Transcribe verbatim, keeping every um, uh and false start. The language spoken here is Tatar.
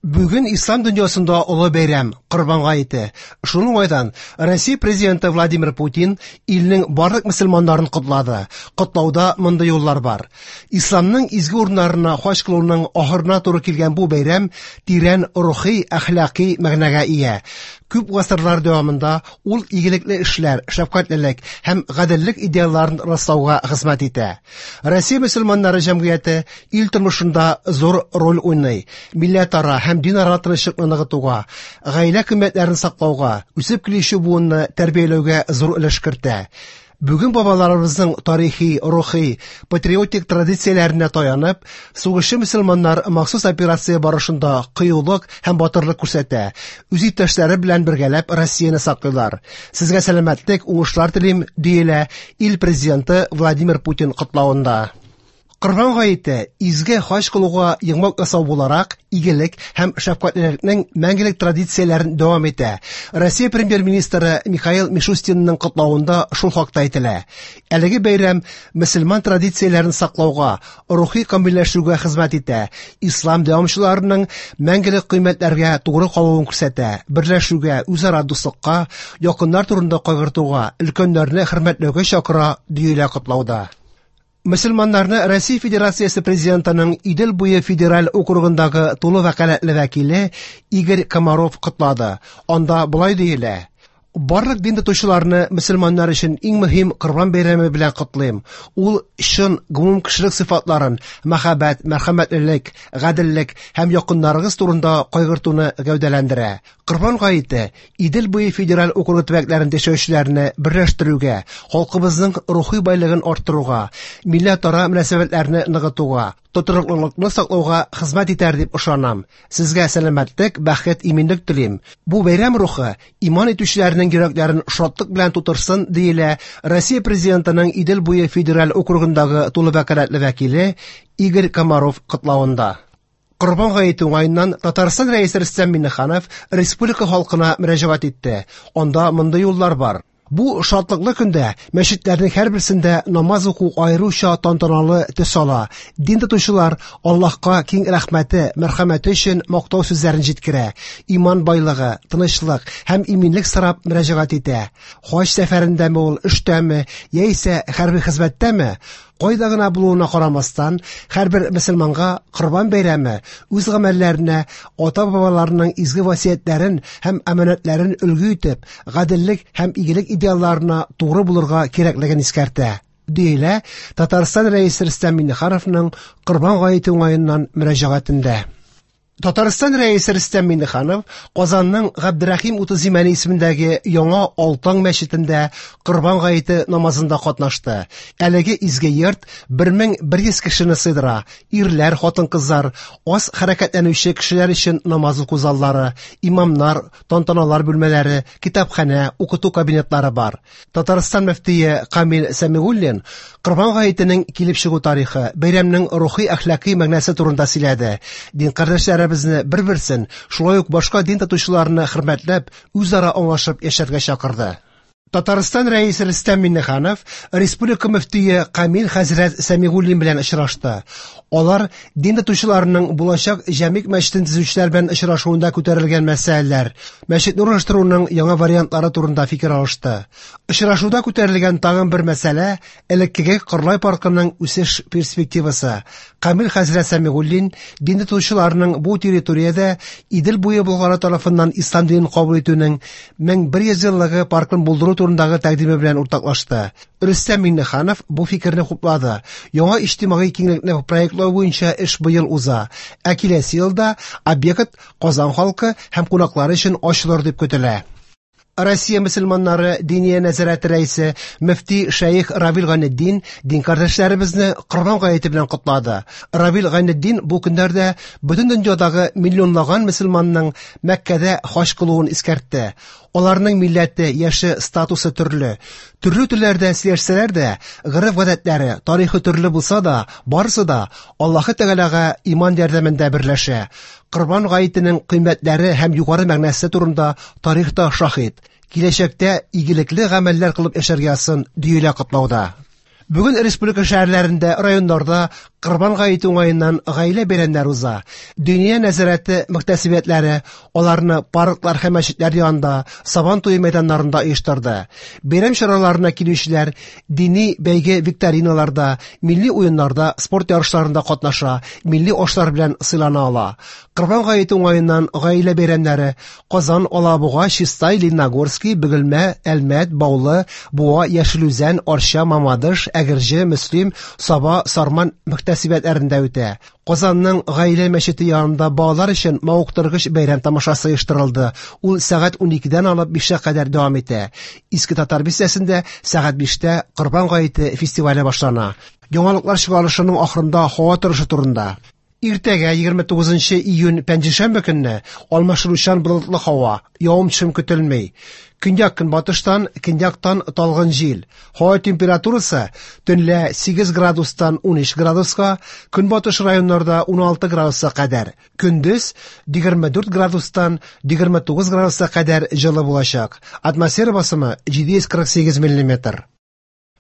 Бүген ислам дөньясында олы бәйрәм Корбан гаете. Шул уңайдан Россия президенты Владимир Путин илнең барлык мөселманнарын котлады. Котлауда мондый юллар бар. Исламның изге урыннарына хаҗ кылуның ахырына туры килгән бу бәйрәм тирән рухи, әхлаки мәгънәгә ия. Күп гасырлар дәвамында ул игелекле эшләр, шәфкатьлелек һәм гаделлек идеалларын раслауга хезмәт итә. Россия мөселманнары җәмгыяте ил тормышында зур роль уйный. Милләтара һәм динара тынычлыкны ныгытуга, гаилә кыйммәтләрен саклауга, үсеп килүче буынны тәрбияләүгә зур өлеш кертә. Бүген бабаларыбызның тарихи, рухи, патриотик традицияләренә таянып, сугышчы мөселманнар махсус операция барышында кыюлык һәм батырлык күрсәтә. Үз иптәшләре белән бергәләп Россияне саклыйлар. Сезгә сәламәтлек, уңышлар телим, диелә ил президенты Владимир Путин котлавында. Корбан гаете изге хаҗ кылуга йомгак ясау буларак игелек һәм шәфкатьлелекнең мәңгелек традицияләрен дәвам итә. Россия премьер-министры Михаил Мишустинның котлавында шул хакта әйтелә. Әлеге бәйрәм мөселман традицияләрен саклауга, рухи камилләшүгә хезмәт итә. Ислам дәвамчыларының мәңгелек кыйммәтләргә тугры калуын күрсәтә. Берләшүгә, үзара дуслыкка, якыннар турында кайгыртуга, өлкәннәрне хөрмәтләүгә чакыра, диелә котлауда. Мөселманнарны Россия Федерациясе президентының Идел буе федераль округындагы тулы вәкаләтле вәкиле Игорь Комаров котлады. Анда болай диелә: Барлык дин тотучыларны мөселманнар өчен иң мөһим Корбан бәйрәме белән котлыйм. Ул чын гомумкешелек сыйфатларын, мәхәббәт, мәрхәмәтлелек, гаделлек һәм якыннарыгыз турында кайгыртуны гәүдәләндерә. Корбан гаете Идел буе федераль округы төбәкләрендә яшәүчеләрне берләштерүгә, халкыбызның рухи байлыгын арттыруга, милләтара мөнәсәбәтләрне ныгытуга, тотрыклылыкны саклауга хезмәт итәр дип ышанам. Сезгә сәламәтлек, бәхет, иминлек телим. Бу бәйрәм рухы иман итүчеләрнең йөрәкләрен шатлык белән тутырсын, диелә Россия президентының Идел буе федераль округындагы тулы вәкаләтле вәкиле Игорь Комаров котлавында. Корбан гаете уңаеннан Татарстан рәисе Рөстәм Миңнеханов республика халкына мөрәҗәгать итте. Анда мондый юллар бар. Бу шатлыклы көндә мәчетләрнең һәрберсендә намаз уку аеруча тантаналы төс ала. Дин тотучылар Аллаһка киң рәхмәте, мәрхәмәте өчен мактау сүзләрен җиткерә. Иман байлыгы, тынычлык һәм иминлек сорап мөрәҗәгать итә. Хаҗ сәфәрендәме ул, эштәме, яисә хәрби хезмәттәме, кайда гына булуына карамастан, һәрбер мөселманга Корбан бәйрәме үз гамәлләренә ата-бабаларының изге васыятьләрен һәм аманәтләрен өлгү итеп, гаделлек һәм игелек идеалларына тугры булырга кирәклеген искәртә, диелә Татарстан рәисе Рөстәм Миңнехановның Корбан гаете уңаеннан мөрәҗәгатендә. Татарстан рәисе Рөстәм Миңнеханов Казанның Габдерәхим Утыз Имәни исемендәге яңа Алтан мәчетендә Корбан гаете намазында катнашты. Әлеге изге йорт бер мең бер йөз кешене сыйдыра. Ирләр, хатын-кызлар, аз хәрәкәтләнүче кешеләр өчен намаз уку заллары, имамнар, тантаналар бүлмәләре, китапханә, укыту кабинетлары бар. Татарстан мөфтие Камил Сәмигуллин Корбан гаетенең килеп чыгу тарихы, бәйрәмнең рухи әхлаки мәгънәсе турында сөйләде. Дин кардәшләре безне бер-берсен, шулай ук башка дин тотучыларны хөрмәтләп, үзара аңлашып яшәргә чакырды. Татарстан рәисе Рөстәм Миңнеханов республика мөфтие Камил хәзрәт Сәмигуллин белән очрашты. Алар дин тотучыларының булачак Җәмигъ мәчетен төзүчеләр белән очрашуында күтәрелгән мәсьәләләр, мәчетне урнаштыруның яңа вариантлары турында фикер алышты. Очрашуда күтәрелгән тагын бер мәсьәлә элеккеге Кырлай паркының үсеш перспективасы. Камил хәзрәт Сәмигуллин дин тотучыларының бу территориядә Идел буе Болгары тарафыннан ислам динен кабул итүнең мең бер йөз еллыгы паркын булдыру турындагы тәкъдиме белән уртаклашты. Рөстәм Миңнеханов бу фикерне хуплады. Яңа иҗтимагый киңлекне проектлау буенча эш быел уза. Ә киләсе елда объект Казан халкы һәм кунаклары өчен ачылыр дип көтелә. Россия мөселманнары Диния нәзарәте рәисе мөфти шәех Равил Гайнетдин дин кардәшләребезне Корбан гаете белән котлады. Равил Гайнетдин бу көннәрдә бөтен дөньядагы миллионлаган мөселманның Мәккәдә хаҗ кылуын искәртте. Аларның милләте, яше, статусы төрле. Төрле телләрдә сөйләшсәләр дә, гореф-гадәтләре, тарихы төрле булса да, барысы да Аллаһы Тәгаләгә иман ярдәмендә берләшә. Корбан гаетенең кыйммәтләре һәм югары мәгънәсе турында тарихта шаһит. Киләчәктә игелекле гамәлләр кылып яшәргә язсын, диелә котлауда. Бүген республика шәһәрләрендә, районнарда Корбан гаете уңаеннан гаилә бәйрәмнәре уза. Диния нәзарәте мөхтәсибәтләре аларны парклар һәм мәчетләр янында, Сабан туе мәйданнарында оештырды. Бәйрәм чараларына килүчеләр дини бәйге-викториналарда, милли уеннарда, спорт ярышларында катнаша, милли ашлар белән сыйлана ала. Корбан гаете уңаеннан гаилә бәйрәмнәре Казан, Алабуга, Чистай, Лениногорский, Бөгелмә, Әлмәт, Баулы, Буа, Яшел Үзән, Арча, Мамадыш, Әгерҗе, Мөслим, Саба, Сарман мөхтәсибәтләрендә үтә. Казанның Гаилә мәчете янында балалар өчен мавыктыргыч бәйрәм тамашасы оештырылды. Ул сәгать уникедән алып бишкә кадәр дәвам итә. Иске Татар бистәсендә сәгать биштә Корбан гаете фестивале башлана. Яңалыклар чыгарылышының ахырында һава торышы турында. Иртәгә егерме тугызынчы июнь пәнҗешәмбе көнне алмашынучан болытлы һава, явым-төшем көтелми. Көньяк көнбатыштан, көньяктан талгын җил. Һава температурасы төнлә сигез градустан унөч градуска, көнбатыш районнарда уналты градуска кадәр. Көндез егерме дүрт градустан егерме тугыз градуска кадәр җылы булачак. Атмосфера басымы җиде йөз кырык сигез миллиметр.